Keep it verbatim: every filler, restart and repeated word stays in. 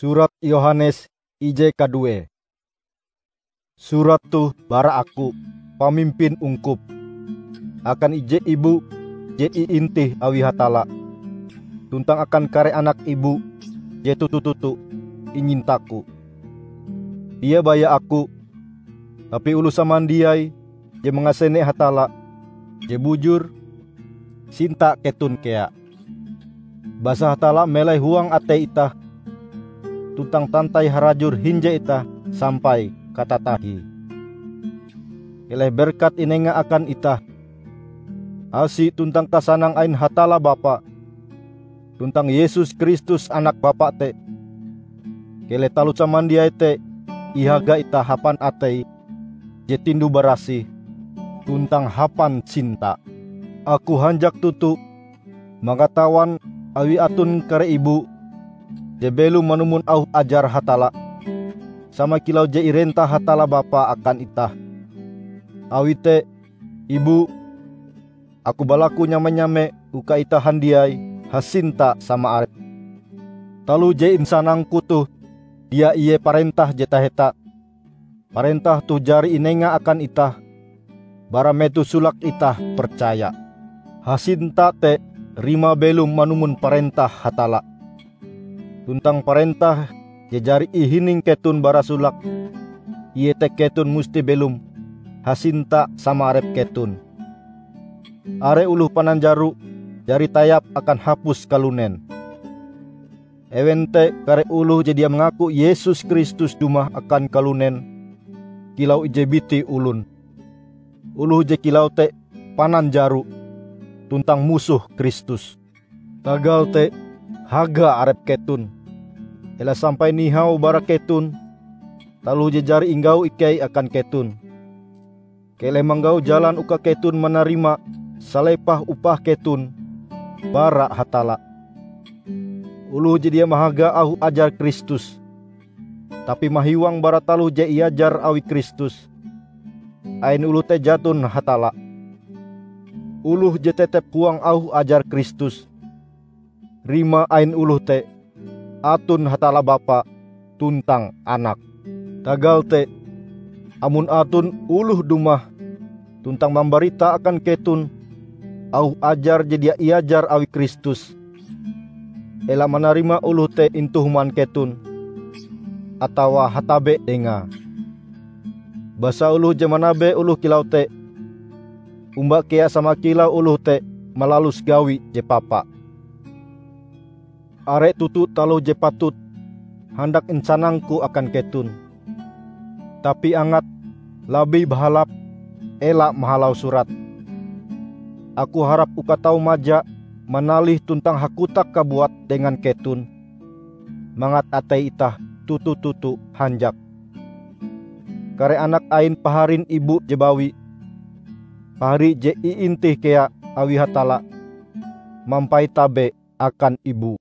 Surat Yohanes ije kadue. Surat toh bara aku, pamimpin ungkup, akan ije ibu je iintih awi Hatalla, tuntang akan kare anak ibu je toto-toto inyintaku. Dia baya aku, tapi oloh samandiai je mangasene Hatalla je bujur, sinta keton kea. Basa Hatalla melai huang atei itah, tuntang tantai harajur hinje itah sampai katatahie. Keleh berkat inenga akan itah, asi tuntang kasanang ain Hatalla Bapa, tuntang Yesus Kristus Anak Bapa te. Keleh taloh samandiai te ihaga itah hapan atei je tinduh-barasih, tuntang hapan sinta. Aku hanjak toto mangatawan awi aton kare ibu je belom manumon auh ajar Hatalla, sama kilau je irentah Hatalla Bapa akan itah. Awi te, ibu, aku balaku nyame-nyame uka itah handiai hasinta sama arep. Taloh je insanangku toh dia ie parentah je taheta. Parentah toh jari inenga akan itah bara metoh solake itah percaya. Hasinta te rimae belom manumon parentah Hatalla. Tuntang parentah je jari ihining keton bara solake, iete keton musti belom hasinta sama arep keton. Are oloh pananjaro jari tayap akan hapus kalunen. Ewen te kare oloh je dia mangaku Yesus Kristus dumah akan kalunen kilau ije biti olon. Oloh je kilau te pananjaro tuntang musoh Kristus. Tagal te, haga arep keton. Ela sampai nihau bara keton taloh je jari inggau ikei akan keton. Keleh manggau jalan uka keton manarima salepah upah keton bara Hatalla. Oloh je dia mahaga auh ajar Kristus, tapi mahiwang bara taloh je iajar awi Kristus, ain oloh te jaton Hatalla. Oloh je tetep huang auh ajar Kristus, rimae ain oloh te, aton Hatalla Bapa tuntang Anak. Tagal te, amon aton oloh dumah tuntang mambarita akan keton auh ajar je dia iajar awi Kristus, ela manarima oloh te intu human keton, atawa hatabe dengae. Basa oloh je manabe oloh kilau te, omba kea sama kilau oloh te malalus gawi je papa. Are toto taloh je patut handak insanangku akan keton. Tapi angat labih bahalap ela mahalau surat. Aku harap uka tau maja manalih tuntang hakotak kabuat dengan keton, mangat atei itah toto-toto hanjak. Kare anak ain paharin ibu je bawi, pahari je iintih kea awi Hatalla, mampait tabe akan ibu.